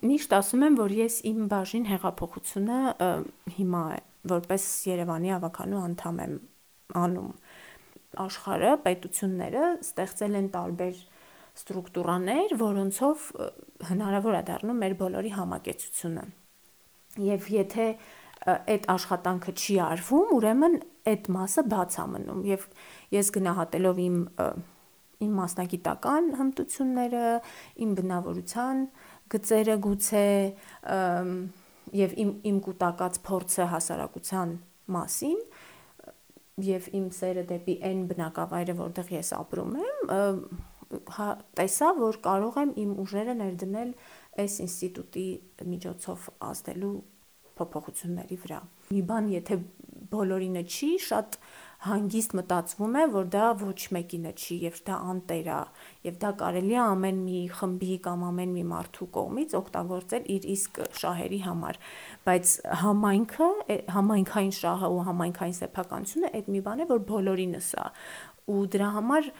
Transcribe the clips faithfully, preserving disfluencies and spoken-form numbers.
միշտ ասում եմ, որ ես իմ բաժին հեղափոխությունը հիմա է, որպես Երևանի ավականու անդամ եմ անում։ Աշխարհը, պետությունները ստեղծել են տարբեր ստրուկտուրաներ, որոնցով հնարավոր է դառնում մեր բոլորի համակեցությունը։ Եվ եթե այդ աշխատանքը չի արվում, ուրեմն այդ մասը բաց է մնում։ Եվ ես գնահատելով իմ իմ մասնագիտական հմտությունները, իմ բնավորության գծերը գուցե եւ իմ իմ կուտակած փորձը հասարակության մասին եւ իմ սերը դեպի այն բնակավայրը, որտեղ ես ապրում եմ, տեսա, որ կարող եմ իմ ուժերը ներդնել այս ինստիտուտի միջոցով ազդելու փոփոխությունների վրա։ Մի բան, եթե բոլորինը չի, շատ հանգիստ մտածվում է, որ դա ոչ մեկինը չի եւ դա անտեր է, եւ դա կարելի է ամեն մի խմբի կամ ամեն մի մարդու կողմից օգտագործել իր իսկ շահերի համար, բայց համայնքը, համայնքային շահը ու համայնքային սեփականությունը այդ մի բան է, որ բոլորինս է, ու դրա համար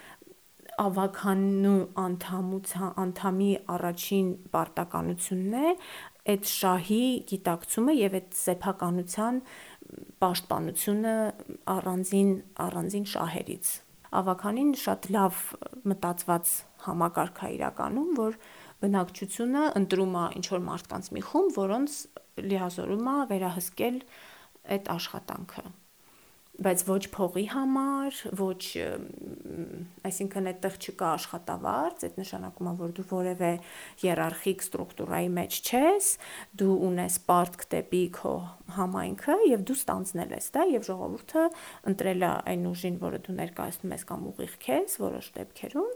ավականու անդամության անդամի առաջին պարտականությունն է այդ շահի գիտակցումը եւ այդ սեփականության պաշտպանությունը առանձին առանձին շահերից։ Ավականին շատ լավ մտածված համակարգ է իրականում, որ բնակչությունը ընտրում է ինչ-որ մարդկանց մի խումբ, որոնց լիազորում է վերահսկել այդ աշխատանքը, բայց ոչ փողի համար, ոչ, այսինքն այդտեղ չկա աշխատավարձ, այդ նշանակում է, որ դու որևէ հիերարխիկ ստրուկտուրայի մեջ չես, դու ունես պարտք դեպի քո համայնքը եւ դու ստանձնել ես դա եւ ժողովուրդը ընտրել է այն ուժին, որը դու ներկայացնում ես կամ ուղիղ քեզ որոշ դեպքերում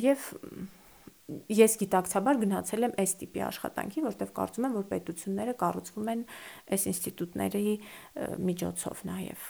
եւ ես գիտակցաբար գնացել եմ այս տիպի աշխատանքի, որտեղ կարծում եմ, որ պետությունները կառուցվում են այս ինստիտուտների միջոցով նաեւ։